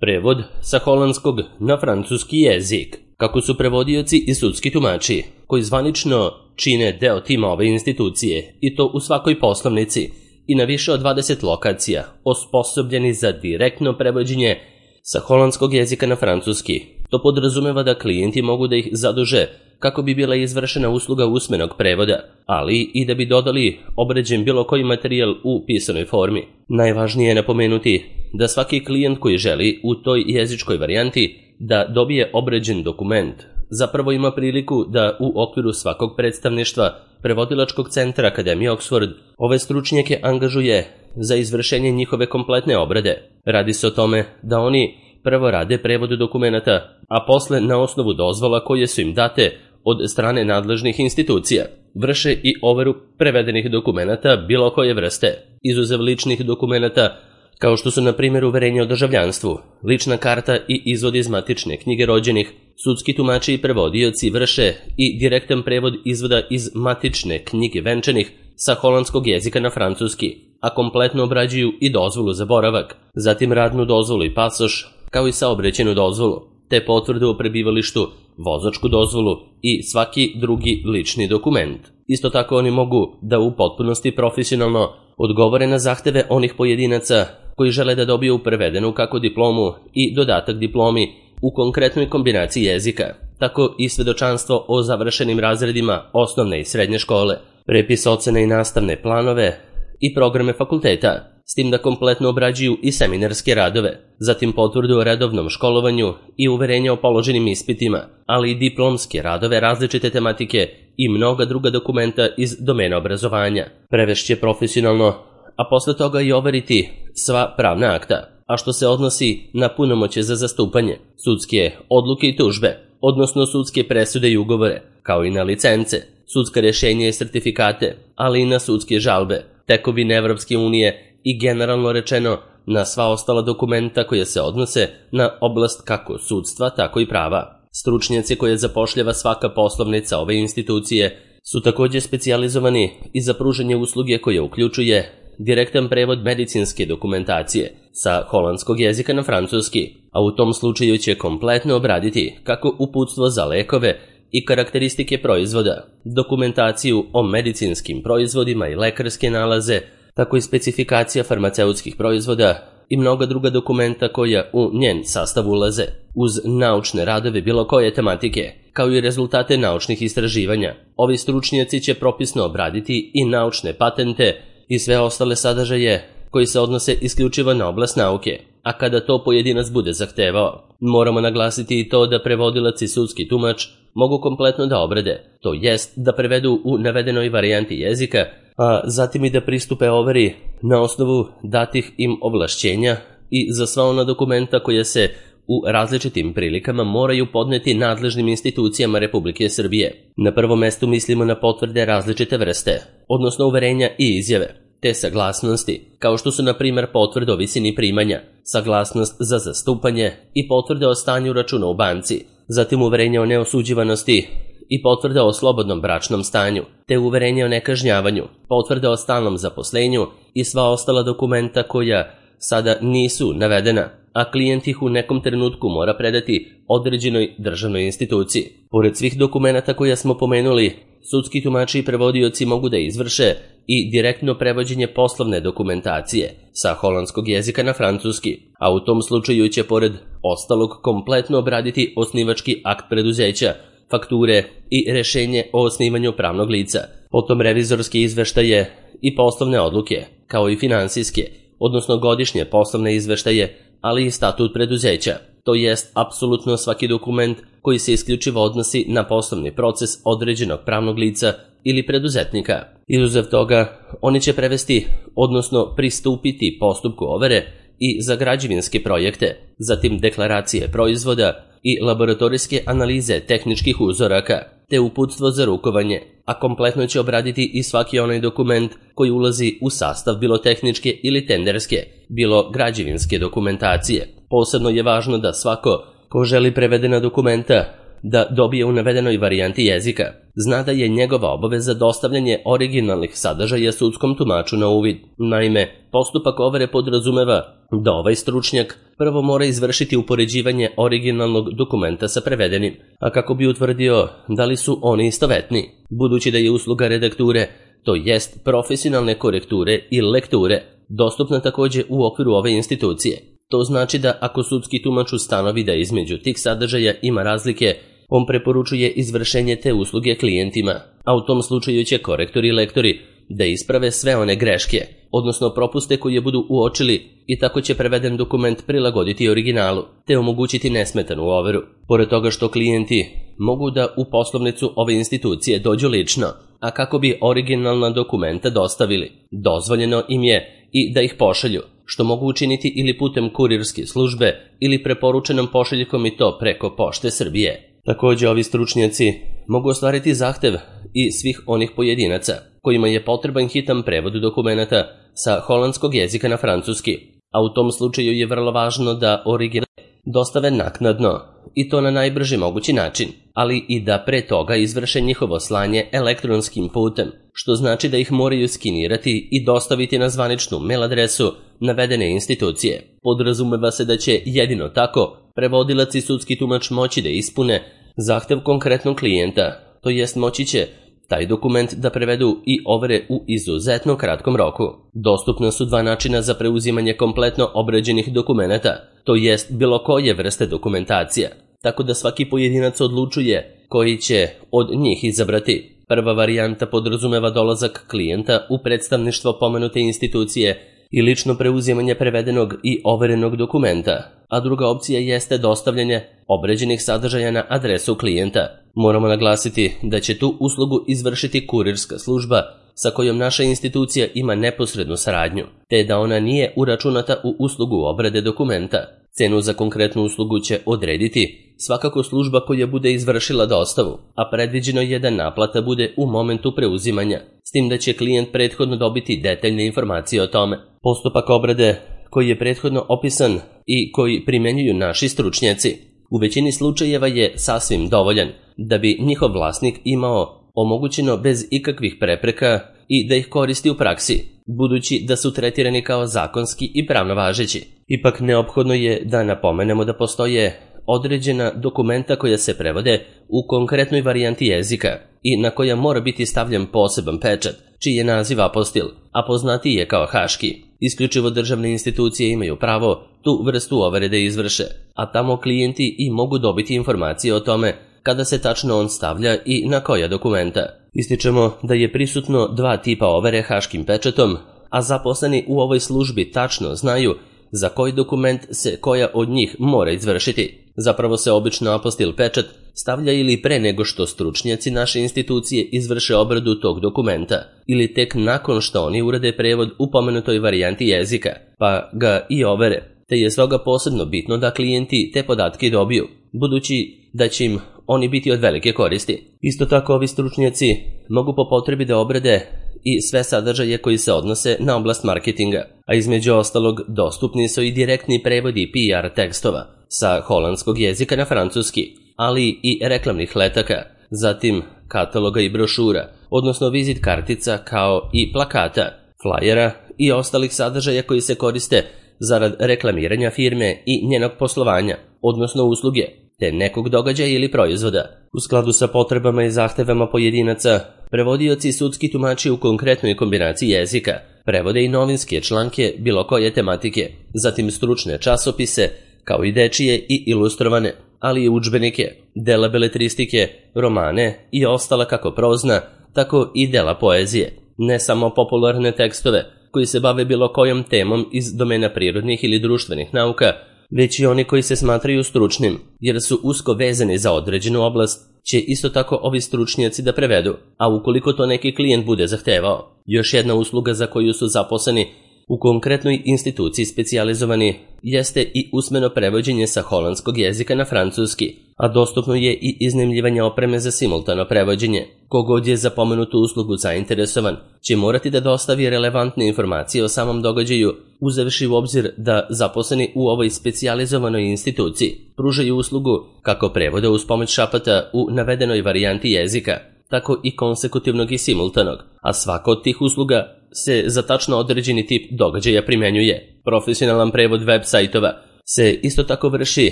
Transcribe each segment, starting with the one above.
Prevod sa holandskog na francuski jezik. Kako su prevodioci i sudski tumači, koji zvanično čine deo tima ove institucije, i to u svakoj poslovnici i na više od 20 lokacija, osposobljeni za direktno prevođenje sa holandskog jezika na francuski. To podrazumeva da klijenti mogu da ih zaduže kako bi bila izvršena usluga usmenog prevoda, ali i da bi dodali obrađen bilo koji materijal u pisanoj formi. Najvažnije je napomenuti da svaki klijent koji želi u toj jezičkoj varijanti da dobije obrađen dokument, zapravo ima priliku da u okviru svakog predstavništva Prevodilačkog centra Akademije Oxford ove stručnjake angažuje za izvršenje njihove kompletne obrade. Radi se o tome da oni prvo rade prevod dokumenta, a posle na osnovu dozvola koje su im date od strane nadležnih institucija vrše i overu prevedenih dokumenata bilo koje vrste, izuzev ličnih dokumenata kao što su na primjer uverenje o državljanstvu, lična karta i izvod iz matične knjige rođenih. Sudski tumači i prevodioci vrše i direktan prevod izvoda iz matične knjige venčanih sa holandskog jezika na francuski, a kompletno obrađuju i dozvolu za boravak, zatim radnu dozvolu i pasoš, kao i saobraćajnu dozvolu, te potvrdu o prebivalištu, vozačku dozvolu i svaki drugi lični dokument. Isto tako oni mogu da u potpunosti profesionalno odgovore na zahteve onih pojedinaca koji žele da dobiju prevedenu kako diplomu i dodatak diplomi u konkretnoj kombinaciji jezika, tako i svedočanstvo o završenim razredima osnovne i srednje škole, prepis ocene i nastavne planove i programe fakulteta, s tim da kompletno obrađuju i seminarske radove, zatim potvrdu o redovnom školovanju i uverenje o položenim ispitima, ali i diplomske radove različite tematike i mnoga druga dokumenta iz domena obrazovanja. Prevešće profesionalno, a posle toga i overiti sva pravna akta, a što se odnosi na punomoćje za zastupanje, sudske odluke i tužbe, odnosno sudske presude i ugovore, kao i na licence, sudska rješenja i sertifikate, ali i na sudske žalbe, tekovine Evropske unije i generalno rečeno na sva ostala dokumenta koja se odnose na oblast kako sudstva, tako i prava. Stručnjaci koje zapošljava svaka poslovnica ove institucije su također specijalizovani i za pružanje usluge koje uključuje direktan prevod medicinske dokumentacije sa holandskog jezika na francuski, a u tom slučaju će kompletno obraditi kako uputstvo za lekove i karakteristike proizvoda, dokumentaciju o medicinskim proizvodima i lekarske nalaze, tako i specifikacija farmaceutskih proizvoda i mnoga druga dokumenta koja u njen sastav ulaze, uz naučne radove bilo koje tematike, kao i rezultate naučnih istraživanja. Ovi stručnjaci će propisno obraditi i naučne patente i sve ostale sadržaje koji se odnose isključivo na oblast nauke, a kada to pojedinac bude zahtevao. Moramo naglasiti i to da prevodilac i sudski tumač mogu kompletno da obrade, to jest da prevedu u navedenoj varijanti jezika, a zatim i da pristupe overi na osnovu datih im ovlašćenja i za sva ona dokumenta koja se u različitim prilikama moraju podneti nadležnim institucijama Republike Srbije. Na prvom mestu mislimo na potvrde različite vrste, odnosno uverenja i izjave, te saglasnosti, kao što su na primjer potvrde o visini primanja, saglasnost za zastupanje i potvrde o stanju računa u banci, zatim uverenje o neosuđivanosti i potvrde o slobodnom bračnom stanju, te uverenje o nekažnjavanju, potvrde o stalnom zaposlenju i sva ostala dokumenta koja sada nisu navedena, a klijent ih u nekom trenutku mora predati određenoj državnoj instituciji. Pored svih dokumenta koja smo pomenuli, sudski tumači i prevodioci mogu da izvrše i direktno prevođenje poslovne dokumentacije sa holandskog jezika na francuski, a u tom slučaju će pored ostalog kompletno obraditi osnivački akt preduzeća, fakture i rešenje o osnivanju pravnog lica, potom revizorske izveštaje i poslovne odluke, kao i finansijske, odnosno godišnje poslovne izveštaje, ali i statut preduzeća, to jest apsolutno svaki dokument koji se isključivo odnosi na poslovni proces određenog pravnog lica ili preduzetnika. Izuzev toga, oni će prevesti, odnosno pristupiti postupku overe i za građevinske projekte, zatim deklaracije proizvoda i laboratorijske analize tehničkih uzoraka, te uputstvo za rukovanje, a kompletno će obraditi i svaki onaj dokument koji ulazi u sastav bilo tehničke ili tenderske, bilo građevinske dokumentacije. Posebno je važno da svako ko želi prevedena dokumenta da dobije u navedenoj varijanti jezika, zna da je njegova obaveza dostavljanje originalnih sadržaja sudskom tumaču na uvid. Naime, postupak overe podrazumeva da ovaj stručnjak prvo mora izvršiti upoređivanje originalnog dokumenta sa prevedenim, a kako bi utvrdio da li su oni istovetni, budući da je usluga redakture, to jest profesionalne korekture i lekture, dostupna takođe u okviru ove institucije. To znači da ako sudski tumač ustanovi da između tih sadržaja ima razlike, on preporučuje izvršenje te usluge klijentima, a u tom slučaju će korektori i lektori da isprave sve one greške, odnosno propuste koje budu uočili, i tako će preveden dokument prilagoditi originalu, te omogućiti nesmetanu overu. Pored toga što klijenti mogu da u poslovnicu ove institucije dođu lično, a kako bi originalna dokumenta dostavili, dozvoljeno im je i da ih pošalju, što mogu učiniti ili putem kurirske službe ili preporučenom pošiljkom, i to preko Pošte Srbije. Takođe, ovi stručnjaci mogu ostvariti zahtev i svih onih pojedinaca kojima je potreban hitan prevod dokumenta sa holandskog jezika na francuski, a u tom slučaju je vrlo važno da original dostave naknadno, i to na najbrži mogući način, ali i da pre toga izvrše njihovo slanje elektronskim putem, što znači da ih moraju skinirati i dostaviti na zvaničnu mail adresu navedene institucije. Podrazumeva se da će jedino tako prevodilac i sudski tumač moći da ispune zahtev konkretnog klijenta, to jest moći će taj dokument da prevedu i overe u izuzetno kratkom roku. Dostupna su dva načina za preuzimanje kompletno obrađenih dokumenata, to jest bilo koje vrste dokumentacija, tako da svaki pojedinac odlučuje koji će od njih izabrati. Prva varijanta podrazumeva dolazak klijenta u predstavništvo pomenute institucije i lično preuzimanje prevedenog i overenog dokumenta, a druga opcija jeste dostavljanje obrađenih sadržaja na adresu klijenta. Moramo naglasiti da će tu uslugu izvršiti kurirska služba sa kojom naša institucija ima neposrednu saradnju, te da ona nije uračunata u uslugu obrade dokumenta. Cenu za konkretnu uslugu će odrediti svakako služba koja bude izvršila dostavu, a predviđeno je da naplata bude u momentu preuzimanja, s tim da će klijent prethodno dobiti detaljne informacije o tome. Postupak obrade koji je prethodno opisan i koji primenjuju naši stručnjaci u većini slučajeva je sasvim dovoljan da bi njihov vlasnik imao omogućeno bez ikakvih prepreka i da ih koristi u praksi, budući da su tretirani kao zakonski i pravno važeći. Ipak neophodno je da napomenemo da postoje određena dokumenta koja se prevode u konkretnoj varijanti jezika i na koja mora biti stavljen poseban pečat, čiji je naziv apostil, a poznatiji je kao haški. Isključivo državne institucije imaju pravo tu vrstu overe da izvrše, a tamo klijenti i mogu dobiti informacije o tome kada se tačno on stavlja i na koja dokumenta. Ističemo da je prisutno dva tipa overe haškim pečatom, a zaposleni u ovoj službi tačno znaju za koji dokument se koja od njih mora izvršiti. Zapravo se obično apostil pečat stavlja ili pre nego što stručnjaci naše institucije izvrše obradu tog dokumenta, ili tek nakon što oni urade prevod u pomenutoj varijanti jezika, pa ga i overe, te je stoga posebno bitno da klijenti te podatke dobiju, budući da će im oni biti od velike koristi. Isto tako ovi stručnjaci mogu po potrebi da obrade i sve sadržaje koji se odnose na oblast marketinga, a između ostalog dostupni su i direktni prevodi PR tekstova sa holandskog jezika na francuski, ali i reklamnih letaka, zatim kataloga i brošura, odnosno vizit kartica kao i plakata, flajera i ostalih sadržaja koji se koriste zarad reklamiranja firme i njenog poslovanja, odnosno usluge, te nekog događaja ili proizvoda. U skladu sa potrebama i zahtevama pojedinaca, prevodioci i sudski tumači u konkretnoj kombinaciji jezika prevode i novinske članke bilo koje tematike, zatim stručne časopise, kao i dečije i ilustrovane, ali i udžbenike, dela beletristike, romane i ostala kako prozna, tako i dela poezije. Ne samo popularne tekstove koji se bave bilo kojom temom iz domena prirodnih ili društvenih nauka, već i oni koji se smatraju stručnim, jer su usko vezani za određenu oblast, će isto tako ovi stručnjaci da prevedu, a ukoliko to neki klijent bude zahtevao. Još jedna usluga za koju su zaposleni U konkretnoj instituciji specijalizovani jeste i usmeno prevođenje sa holandskog jezika na francuski, a dostupno je i iznajmljivanje opreme za simultano prevođenje. Kogod je za pomenutu uslugu zainteresovan će morati da dostavi relevantne informacije o samom događaju, uzevši u obzir da zaposleni u ovoj specijalizovanoj instituciji pružaju uslugu kako prevoda uz pomoć šapata u navedenoj varijanti jezika, tako i konsekutivnog i simultanog, a svaka od tih usluga se za tačno određeni tip događaja primenjuje. Profesionalan prevod web sajtova se isto tako vrši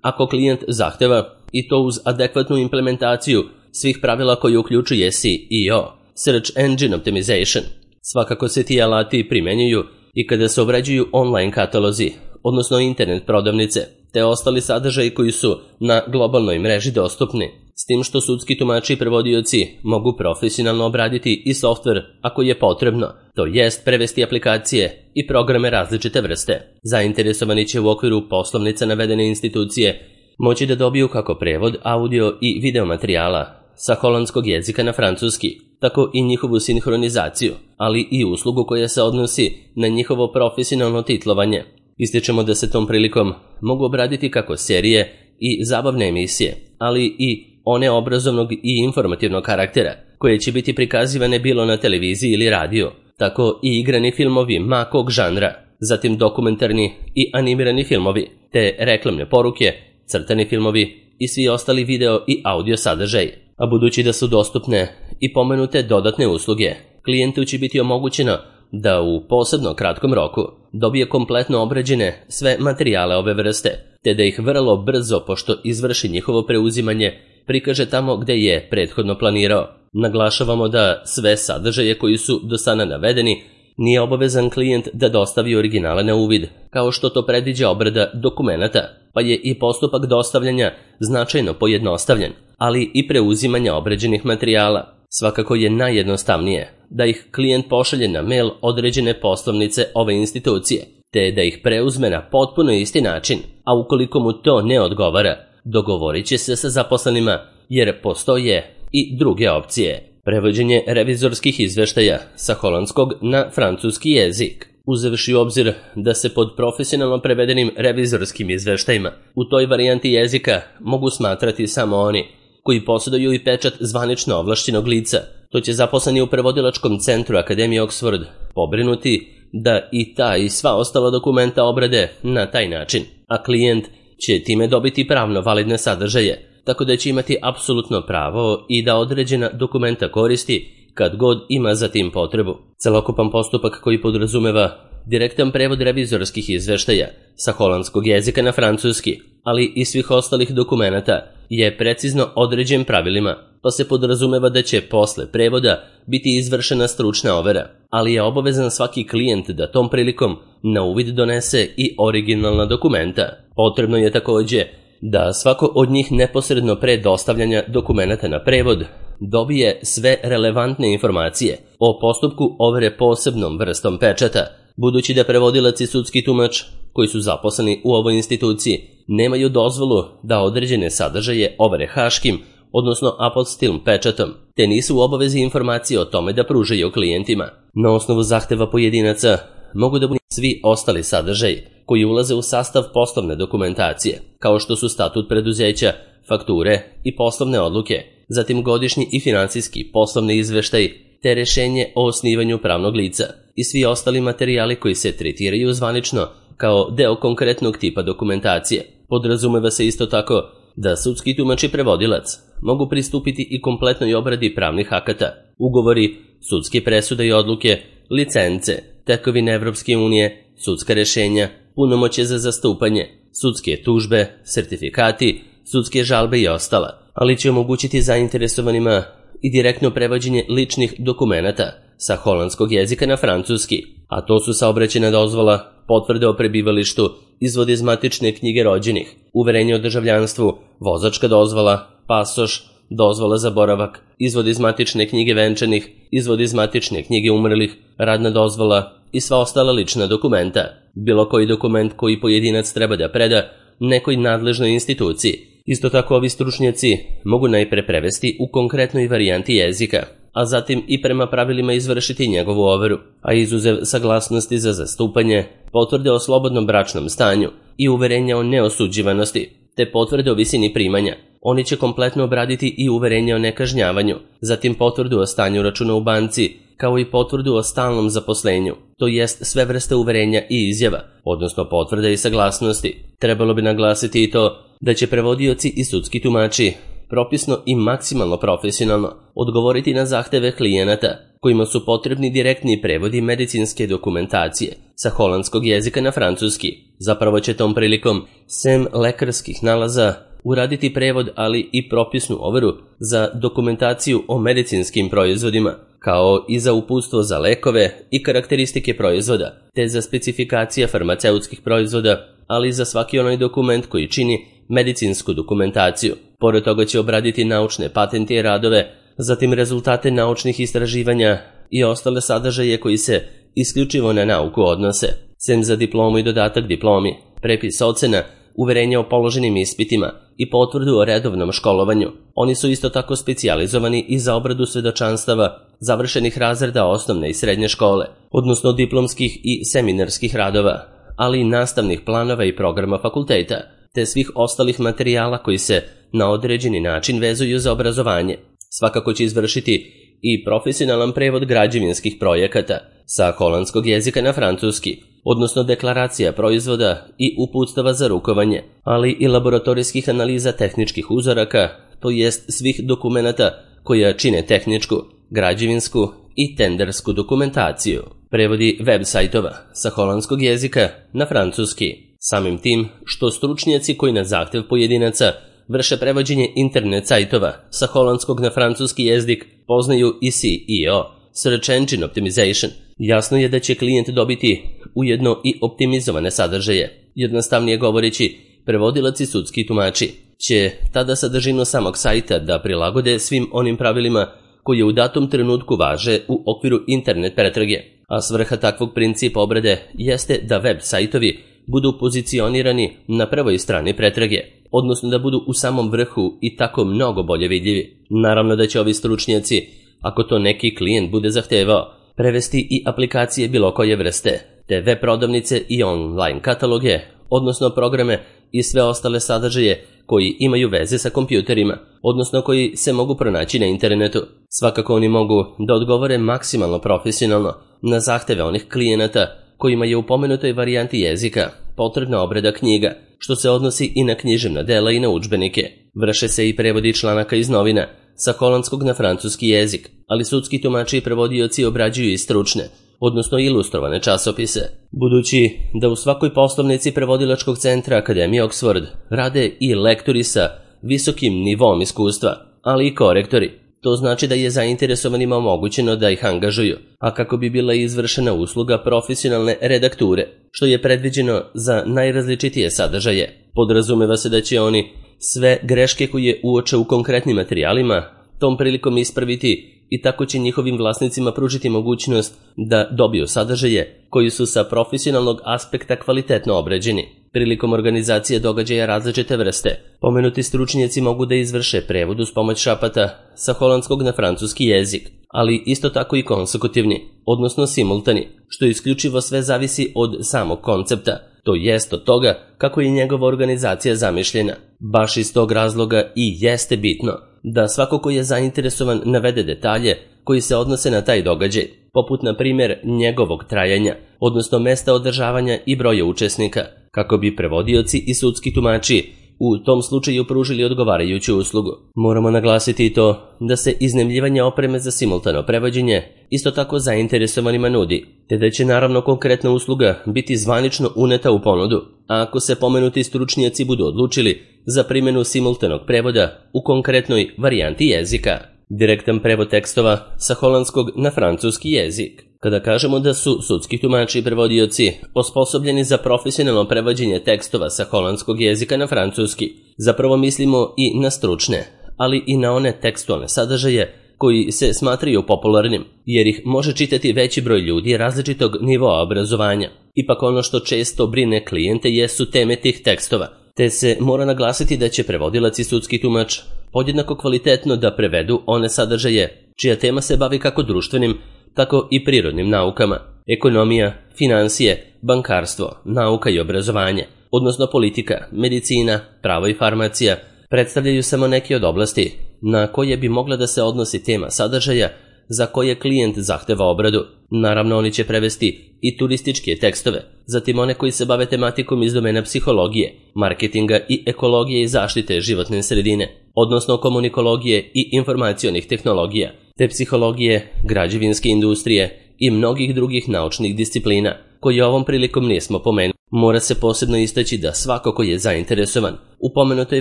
ako klijent zahteva, i to uz adekvatnu implementaciju svih pravila koji uključuje SEO, Search Engine Optimization. Svakako se ti alati primenjuju i kada se obrađuju online katalozi, odnosno internet prodavnice, te ostali sadržaji koji su na globalnoj mreži dostupni, s tim što sudski tumači i prevodioci mogu profesionalno obraditi i softver ako je potrebno, to jest prevesti aplikacije i programe različite vrste. Zainteresovani će u okviru poslovnica navedene institucije moći da dobiju kako prevod audio i video materijala sa holandskog jezika na francuski, tako i njihovu sinhronizaciju, ali i uslugu koja se odnosi na njihovo profesionalno titlovanje. Ističemo da se tom prilikom mogu obraditi kako serije i zabavne emisije, ali i one obrazovnog i informativnog karaktera, koje će biti prikazivane bilo na televiziji ili radiju, tako i igrani filmovi ma kog žanra, zatim dokumentarni i animirani filmovi, te reklamne poruke, crtani filmovi i svi ostali video i audio sadržaj. A budući da su dostupne i pomenute dodatne usluge, klijentu će biti omogućeno da u posebno kratkom roku dobije kompletno obrađene sve materijale ove vrste, te da ih vrlo brzo, pošto izvrši njihovo preuzimanje, prikaže tamo gde je prethodno planirao. Naglašavamo da sve sadržaje koji su do sada navedeni nije obavezan klijent da dostavi originale na uvid, kao što to predviđa obrada dokumenata, pa je i postupak dostavljanja značajno pojednostavljen, ali i preuzimanja obrađenih materijala. Svakako je najjednostavnije da ih klijent pošalje na mail određene poslovnice ove institucije, te da ih preuzme na potpuno isti način, a ukoliko mu to ne odgovara, dogovorit će se sa zaposlenima, jer postoje i druge opcije. Prevođenje revizorskih izveštaja sa holandskog na francuski jezik. Uzevši u obzir da se pod profesionalno prevedenim revizorskim izveštajima u toj varijanti jezika mogu smatrati samo oni koji posjeduju i pečat zvanično ovlašćenog lica, to će zaposleni u prevodilačkom centru Akademije Oxford pobrinuti da i ta i sva ostala dokumenta obrade na taj način, a klijent će time dobiti pravno validne sadržaje, tako da će imati apsolutno pravo i da određena dokumenta koristi kad god ima za tim potrebu. Celokupan postupak koji podrazumeva direktan prevod revizorskih izveštaja sa holandskog jezika na francuski, ali i svih ostalih dokumenata, je precizno određen pravilima, pa se podrazumeva da će posle prevoda biti izvršena stručna overa, ali je obavezan svaki klijent da tom prilikom na uvid donese i originalna dokumenta. Potrebno je takođe da svako od njih neposredno pre dostavljanja dokumenata na prevod dobije sve relevantne informacije o postupku overe posebnom vrstom pečata, budući da prevodilac i sudski tumač koji su zaposleni u ovoj instituciji nemaju dozvolu da određene sadržaje overe haškim, odnosno apostilm pečatom, te nisu u obavezi informacije o tome da pružaju klijentima. Na osnovu zahteva pojedinaca mogu da budu svi ostali sadržaji koji ulaze u sastav poslovne dokumentacije, kao što su statut preduzeća, fakture i poslovne odluke, zatim godišnji i finansijski poslovni izveštaj, te rešenje o osnivanju pravnog lica i svi ostali materijali koji se tretiraju zvanično kao deo konkretnog tipa dokumentacije. Podrazumeva se isto tako da sudski tumač i prevodilac mogu pristupiti i kompletnoj obradi pravnih akata, ugovori, sudske presude i odluke, licence, tekovine Evropske unije, sudska rešenja, punomoćje za zastupanje, sudske tužbe, sertifikati, sudske žalbe i ostala, ali će omogućiti zainteresovanima i direktno prevođenje ličnih dokumenata sa holandskog jezika na francuski, a to su saobraćajna dozvola, potvrde o prebivalištu, izvod iz matične knjige rođenih, uverenje o državljanstvu, vozačka dozvola, pasoš, dozvola za boravak, izvod iz matične knjige venčanih, izvod iz matične knjige umrlih, radna dozvola i sva ostala lična dokumenta. Bilo koji dokument koji pojedinac treba da preda nekoj nadležnoj instituciji. Isto tako ovi stručnjaci mogu najpre prevesti u konkretnoj varijanti jezika, a zatim i prema pravilima izvršiti njegovu overu, a izuzev saglasnosti za zastupanje, potvrde o slobodnom bračnom stanju i uverenja o neosuđivanosti, te potvrde o visini primanja. Oni će kompletno obraditi i uverenje o nekažnjavanju, zatim potvrdu o stanju računa u banci, kao i potvrdu o stalnom zaposlenju, to jest sve vrste uverenja i izjava, odnosno potvrde i saglasnosti. Trebalo bi naglasiti i to da će prevodioci i sudski tumači propisno i maksimalno profesionalno odgovoriti na zahteve klijenata kojima su potrebni direktni prevodi medicinske dokumentacije sa holandskog jezika na francuski. Zapravo će tom prilikom, sem lekarskih nalaza, uraditi prevod, ali i propisnu overu za dokumentaciju o medicinskim proizvodima, kao i za uputstvo za lekove i karakteristike proizvoda, te za specifikacije farmaceutskih proizvoda, ali i za svaki onaj dokument koji čini medicinsku dokumentaciju. Pored toga će obraditi naučne patente i radove, zatim rezultate naučnih istraživanja i ostale sadržaje koji se isključivo na nauku odnose, sem za diplomu i dodatak diplomi, prepis ocena, uverenje o položenim ispitima i potvrdu o redovnom školovanju. Oni su isto tako specijalizovani i za obradu svedočanstava završenih razreda osnovne i srednje škole, odnosno diplomskih i seminarskih radova, ali i nastavnih planova i programa fakulteta, te svih ostalih materijala koji se na određeni način vezuju za obrazovanje. Svakako će izvršiti i profesionalan prevod građevinskih projekata sa holandskog jezika na francuski, odnosno deklaracija proizvoda i uputstava za rukovanje, ali i laboratorijskih analiza tehničkih uzoraka, to jest svih dokumenata koja čine tehničku, građevinsku i tendersku dokumentaciju. Prevodi web sajtova sa holandskog jezika na francuski. Samim tim što stručnjaci koji na zahtev pojedinaca vrše prevođenje internet sajtova sa holandskog na francuski jezik poznaju i SEO, Search Engine Optimization. Jasno je da će klijent dobiti ujedno i optimizovane sadržaje. Jednostavnije govoreći, prevodilac i sudski tumači će tada sadržinu samog sajta da prilagode svim onim pravilima koje u datom trenutku važe u okviru internet pretrage, a svrha takvog principa obrade jeste da web sajtovi budu pozicionirani na prvoj strani pretrage, odnosno da budu u samom vrhu i tako mnogo bolje vidljivi. Naravno da će ovi stručnjaci, ako to neki klijent bude zahtevao, prevesti i aplikacije bilo koje vrste, te web prodavnice i online kataloge, odnosno programe i sve ostale sadržaje koji imaju veze sa kompjuterima, odnosno koji se mogu pronaći na internetu. Svakako oni mogu da odgovore maksimalno profesionalno na zahteve onih klijenata kojima je u pomenutoj varijanti jezika potrebna obrada knjiga, što se odnosi i na književna dela i na udžbenike. Vrše se i prevodi članaka iz novina sa holandskog na francuski jezik, ali sudski tumači i prevodioci obrađuju i stručne, odnosno ilustrovane časopise. Budući da u svakoj poslovnici prevodilačkog centra Akademije Oxford rade i lektori sa visokim nivom iskustva, ali i korektori, to znači da je zainteresovanima omogućeno da ih angažuju, a kako bi bila izvršena usluga profesionalne redakture, što je predviđeno za najrazličitije sadržaje. Podrazumeva se da će oni sve greške koje uoče u konkretnim materijalima tom prilikom ispraviti i tako će njihovim vlasnicima pružiti mogućnost da dobiju sadržaje koji su sa profesionalnog aspekta kvalitetno obrađeni. Prilikom organizacije događaja različite vrste, pomenuti stručnjaci mogu da izvrše prevod uz pomoć šapata sa holandskog na francuski jezik, ali isto tako i konsekutivni, odnosno simultani, što isključivo sve zavisi od samog koncepta, to jest od toga kako je njegova organizacija zamišljena. Baš iz tog razloga i jeste bitno da svako ko je zainteresovan navede detalje koji se odnose na taj događaj, poput na primjer njegovog trajanja, odnosno mesta održavanja i broja učesnika, kako bi prevodioci i sudski tumači u tom slučaju pružili odgovarajuću uslugu. Moramo naglasiti i to da se iznajmljivanje opreme za simultano prevođenje isto tako zainteresovanima nudi, te da će naravno konkretna usluga biti zvanično uneta u ponudu, a ako se pomenuti stručnjaci budu odlučili za primjenu simultanog prevoda u konkretnoj varijanti jezika. Direktan prevod tekstova sa holandskog na francuski jezik. Kada kažemo da su sudski tumači i prevodioci osposobljeni za profesionalno prevođenje tekstova sa holandskog jezika na francuski, zapravo mislimo i na stručne, ali i na one tekstualne sadržaje koji se smatraju popularnim, jer ih može čitati veći broj ljudi različitog nivoa obrazovanja. Ipak ono što često brine klijente jesu teme tih tekstova, te se mora naglasiti da će prevodilac i sudski tumač podjednako kvalitetno da prevedu one sadržaje čija tema se bavi kako društvenim, tako i prirodnim naukama, ekonomija, financije, bankarstvo, nauka i obrazovanje, odnosno politika, medicina, pravo i farmacija, predstavljaju samo neke od oblasti na koje bi mogla da se odnosi tema sadržaja za koje klijent zahteva obradu. Naravno, oni će prevesti i turističke tekstove, zatim one koji se bave tematikom iz domena psihologije, marketinga i ekologije i zaštite životne sredine, odnosno komunikologije i informacionih tehnologija, te psihologije, građevinske industrije i mnogih drugih naučnih disciplina, koje ovom prilikom nismo pomenuli. Mora se posebno istaći da svako ko je zainteresovan u pomenutoj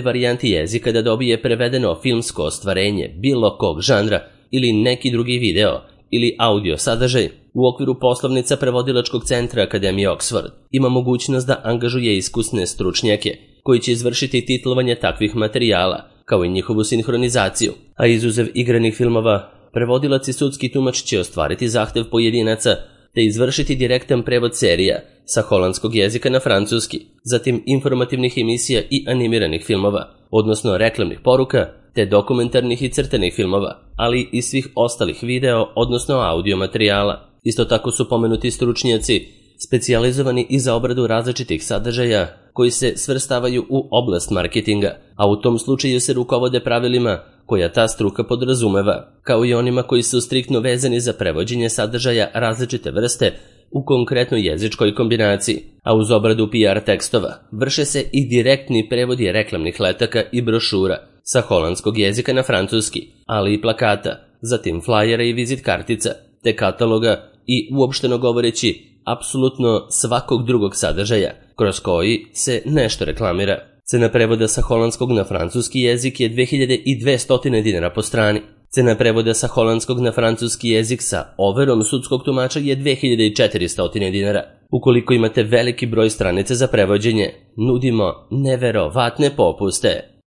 varijanti jezika da dobije prevedeno filmsko ostvarenje bilo kog žanra ili neki drugi video ili audio sadržaj u okviru poslovnica prevodilačkog centra Akademije Oxford ima mogućnost da angažuje iskusne stručnjake koji će izvršiti titlovanje takvih materijala kao i njihovu sinhronizaciju, a izuzev igranih filmova, prevodilac i sudski tumač će ostvariti zahtev pojedinaca te izvršiti direktan prevod serija sa holandskog jezika na francuski, zatim informativnih emisija i animiranih filmova, odnosno reklamnih poruka, te dokumentarnih i crtanih filmova, ali i svih ostalih video, odnosno audio materijala. Isto tako su pomenuti stručnjaci specijalizovani i za obradu različitih sadržaja koji se svrstavaju u oblast marketinga, a u tom slučaju se rukovode pravilima koja ta struka podrazumeva, kao i onima koji su striktno vezani za prevođenje sadržaja različite vrste u konkretnoj jezičkoj kombinaciji, a uz obradu PR tekstova vrše se i direktni prevodi reklamnih letaka i brošura sa holandskog jezika na francuski, ali i plakata, zatim flajera i vizit kartica, te kataloga i uopšteno govoreći apsolutno svakog drugog sadržaja kroz koji se nešto reklamira. Cena prevoda sa holandskog na francuski jezik je 2200 dinara po strani. Cena prevoda sa holandskog na francuski jezik sa overom sudskog tumača je 2400 dinara. Ukoliko imate veliki broj stranica za prevođenje, nudimo neverovatne popuste.